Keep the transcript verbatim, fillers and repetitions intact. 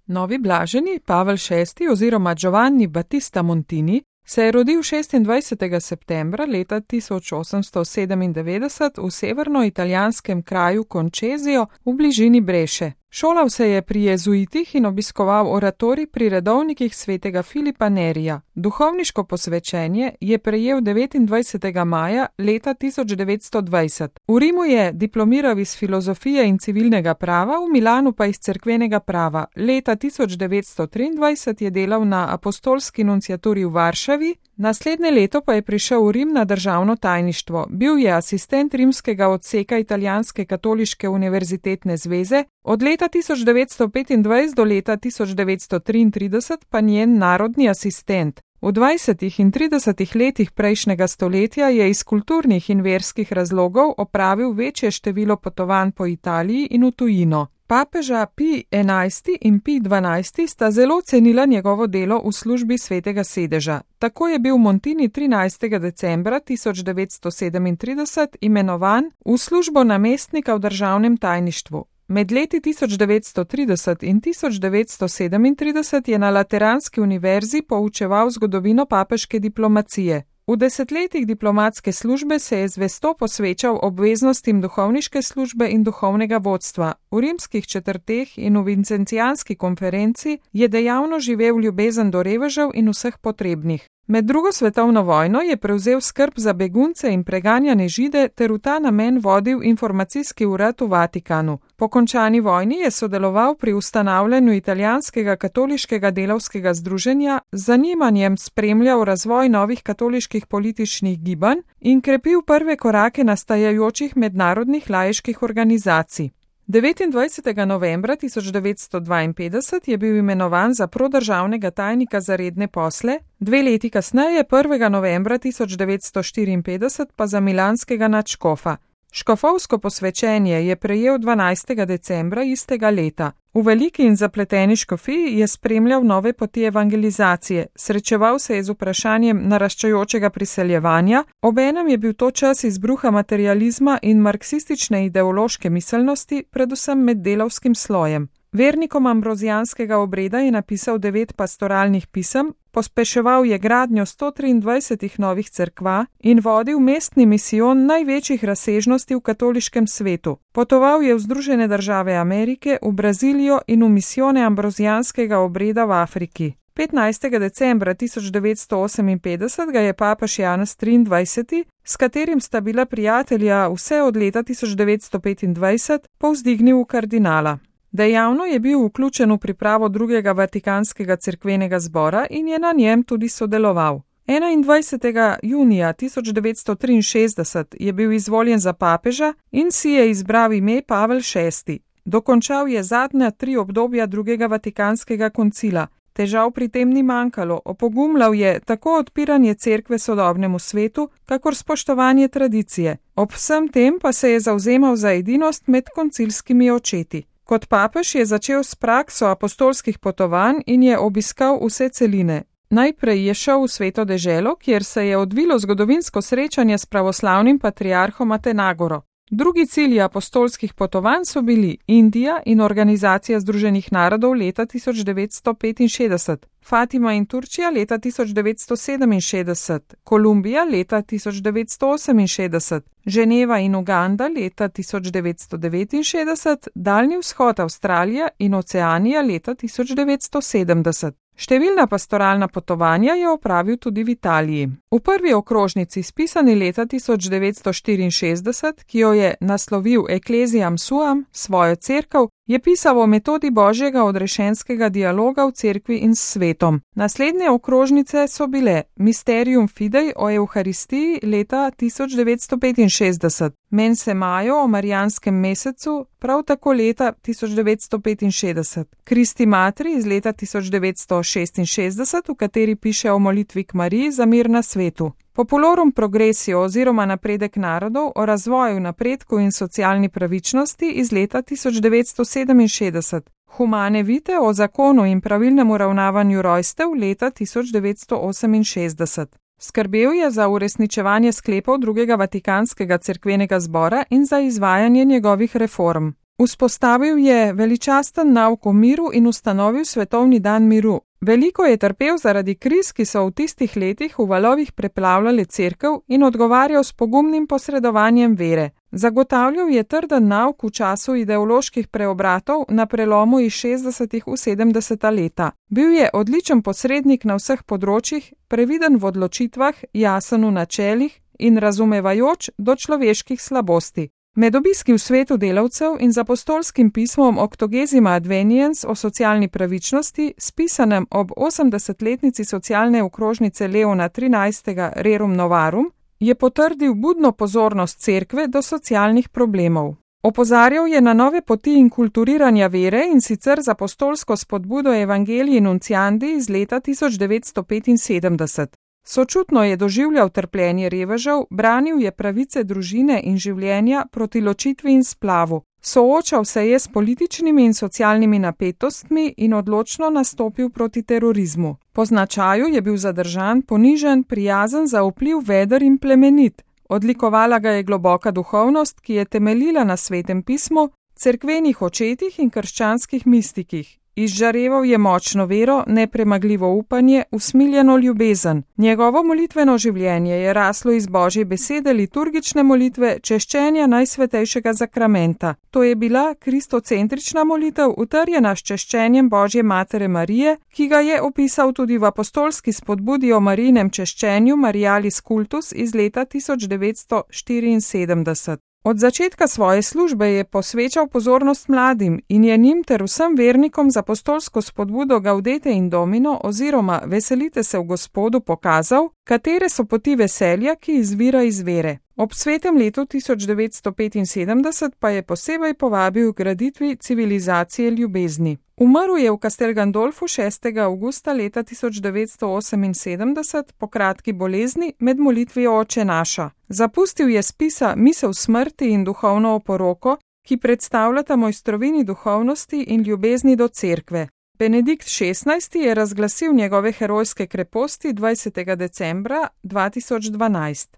Novi blaženi Pavel šesti oziroma Giovanni Battista Montini se je rodil šestindvajsetega septembra leta tisoč osemsto sedemindevetdeset v severnoitalijanskem kraju Concesio v bližini Breše. Šolal se je pri jezuitih in obiskoval oratorij pri redovnikih svetega Filipa Nerija. Duhovniško posvečenje je prejel devetindvajsetega maja leta tisoč devetsto dvajset. V Rimu je diplomiral iz filozofije in civilnega prava, v Milanu pa iz cerkvenega prava. Leta tisoč devetsto triindvajset je delal na apostolski nunciaturi v Varšavi, naslednje leto pa je prišel v Rim na državno tajništvo. Bil je asistent rimskega odseka Italijanske katoliške univerzitetne zveze, od leta tisoč devetsto petindvajset do leta tisoč devetsto triintrideset pa njen narodni asistent. V dvajsetih in tridesetih letih prejšnjega stoletja je iz kulturnih in verskih razlogov opravil večje število potovanj po Italiji in v tujino. Papeža Pij enajsti in Pij dvanajsti sta zelo cenila njegovo delo v službi svetega sedeža. Tako je bil Montini trinajstega decembra tisoč devetsto sedemintrideset imenovan v službo namestnika v državnem tajništvu. Med leti tisoč devetsto trideset in tisoč devetsto sedemintrideset je na Lateranski univerzi poučeval zgodovino papeške diplomacije. V desetletjih diplomatske službe se je zvesto posvečal obveznostim duhovniške službe in duhovnega vodstva. V rimskih četrteh in v Vincentijanski konferenci je dejavno živel ljubezen do revežev in vseh potrebnih. Med drugo svetovno vojno je prevzel skrb za begunce in preganjane Žide ter v ta namen vodil informacijski urad v Vatikanu. Po končani vojni je sodeloval pri ustanavljanju italijanskega katoliškega delavskega združenja, z zanimanjem spremljal razvoj novih katoliških političnih gibanj in krepil prve korake nastajajočih mednarodnih laiških organizacij. devetindvajsetega novembra tisoč devetsto dvainpetdeset je bil imenovan za prodržavnega tajnika za redne posle, dve leti kasneje, prvega novembra tisoč devetsto štiriinpetdeset, pa za milanskega nadškofa. Škofovsko posvečenje je prejel dvanajstega decembra istega leta. V veliki in zapleteni škofiji je spremljal nove poti evangelizacije, srečeval se je z vprašanjem naraščajočega priseljevanja, obenem je bil to čas izbruha materializma in marksistične ideološke miselnosti, predvsem med delavskim slojem. Vernikom ambrozijanskega obreda je napisal devet pastoralnih pisem, pospeševal je gradnjo sto triindvajsetih novih cerkva in vodil mestni misijon največjih razsežnosti v katoliškem svetu. Potoval je v Združene države Amerike, v Brazilijo in v misijone ambrozijanskega obreda v Afriki. petnajstega decembra tisoč devetsto oseminpetdeset ga je papež Janez triindvajseti, s katerim sta bila prijatelja vse od leta tisoč devetsto petindvajset, povzdignil v kardinala. Dejavno je bil vključen v pripravo drugega Vatikanskega cerkvenega zbora in je na njem tudi sodeloval. enaindvajsetega junija tisoč devetsto triinšestdeset je bil izvoljen za papeža in si je izbral ime Pavel šesti. Dokončal je zadnja tri obdobja drugega Vatikanskega koncila. Težav pri tem ni manjkalo, opogumljal je tako odpiranje cerkve sodobnemu svetu, kakor spoštovanje tradicije. Ob vsem tem pa se je zavzemal za edinost med koncilskimi očeti. Kot papež je začel s prakso apostolskih potovanj in je obiskal vse celine. Najprej je šel v Sveto deželo, kjer se je odvilo zgodovinsko srečanje s pravoslavnim patriarhom Atenagoro. Drugi cilji apostolskih potovanj so bili Indija in Organizacija združenih narodov leta tisoč devetsto petinšestdeset, Fatima in Turčija leta tisoč devetsto sedeminšestdeset, Kolumbija leta tisoč devetsto oseminšestdeset, Ženeva in Uganda leta tisoč devetsto devetinšestdeset, Daljni vzhod Avstralija in Oceanija leta tisoč devetsto sedemdeset. Številna pastoralna potovanja je opravil tudi v Italiji. V prvi okrožnici, spisani leta tisoč devetsto štiriinšestdeset, ki jo je naslovil Ecclesiam Suam, svojo cerkev, je pisal o metodi božjega odrešenskega dialoga v cerkvi in s svetom. Naslednje okrožnice so bile Mysterium Fidei o Evharistiji leta tisoč devetsto petinšestdeset, Mense Majo o Marijanskem mesecu, prav tako leta tisoč devetsto petinšestdeset, Christi Matri iz leta tisoč devetsto šestinšestdeset, v kateri piše o molitvi k Mariji za mir na svetu. Populorum progresio oziroma napredek narodov o razvoju, napredku in socialni pravičnosti iz leta tisoč devetsto sedeminšestdeset, Humane vitae o zakonu in pravilnem uravnavanju rojstev leta tisoč devetsto oseminšestdeset. Skrbel je za uresničevanje sklepov drugega Vatikanskega cerkvenega zbora in za izvajanje njegovih reform. Vzpostavil je veličasten nauk o miru in ustanovil svetovni dan miru. Veliko je trpel zaradi kriz, ki so v tistih letih v valovih preplavljale cerkev, in odgovarjal s pogumnim posredovanjem vere. Zagotavljal je trden nauk v času ideoloških preobratov na prelomu iz šestdesetih v sedemdeseta leta. Bil je odličen posrednik na vseh področjih, previden v odločitvah, jasen v načelih in razumevajoč do človeških slabosti. Med obiski v svetu delavcev in z apostolskim pismom Octogesima Adveniens o socialni pravičnosti, spisanem ob osemdesetletnici socialne okrožnice Leona trinajstega Rerum Novarum, je potrdil budno pozornost cerkve do socialnih problemov. Opozarjal je na nove poti inkulturiranja vere, in sicer z apostolsko spodbudo Evangelii Nunciandi iz leta tisoč devetsto petinsedemdeset. Sočutno je doživljal trpljenje revežev, branil je pravice družine in življenja proti ločitvi in splavu. Soočal se je s političnimi in socialnimi napetostmi in odločno nastopil proti terorizmu. Po značaju je bil zadržan, ponižen, prijazen, zaupljiv, veder in plemenit. Odlikovala ga je globoka duhovnost, ki je temeljila na Svetem pismu, cerkvenih očetih in krščanskih mistikih. Izžareval je močno vero, nepremagljivo upanje, usmiljeno ljubezen. Njegovo molitveno življenje je raslo iz Božje besede, liturgične molitve, češčenja najsvetejšega zakramenta. To je bila kristocentrična molitev, utrjena s češčenjem Božje matere Marije, ki ga je opisal tudi v apostolski spodbudi o Marijinem češčenju Marialis Cultus iz leta tisoč devetsto štiriinsedemdeset. Od začetka svoje službe je posvečal pozornost mladim in je njim ter vsem vernikom z apostolsko spodbudo Gaudete in Domino oziroma Veselite se v Gospodu pokazal, katere so poti veselja, ki izvira iz vere. Ob svetem letu tisoč devetsto petinsedemdeset pa je posebej povabil k graditvi civilizacije ljubezni. Umrl je v Castel Gandolfu šestega avgusta leta tisoč devetsto oseminsedemdeset po kratki bolezni med molitvijo Oče naša. Zapustil je spisa Misel smrti in duhovno oporoko, ki predstavljata mojstrovini duhovnosti in ljubezni do cerkve. Benedikt šestnajsti je razglasil njegove herojske kreposti dvajsetega decembra dva tisoč dvanajst.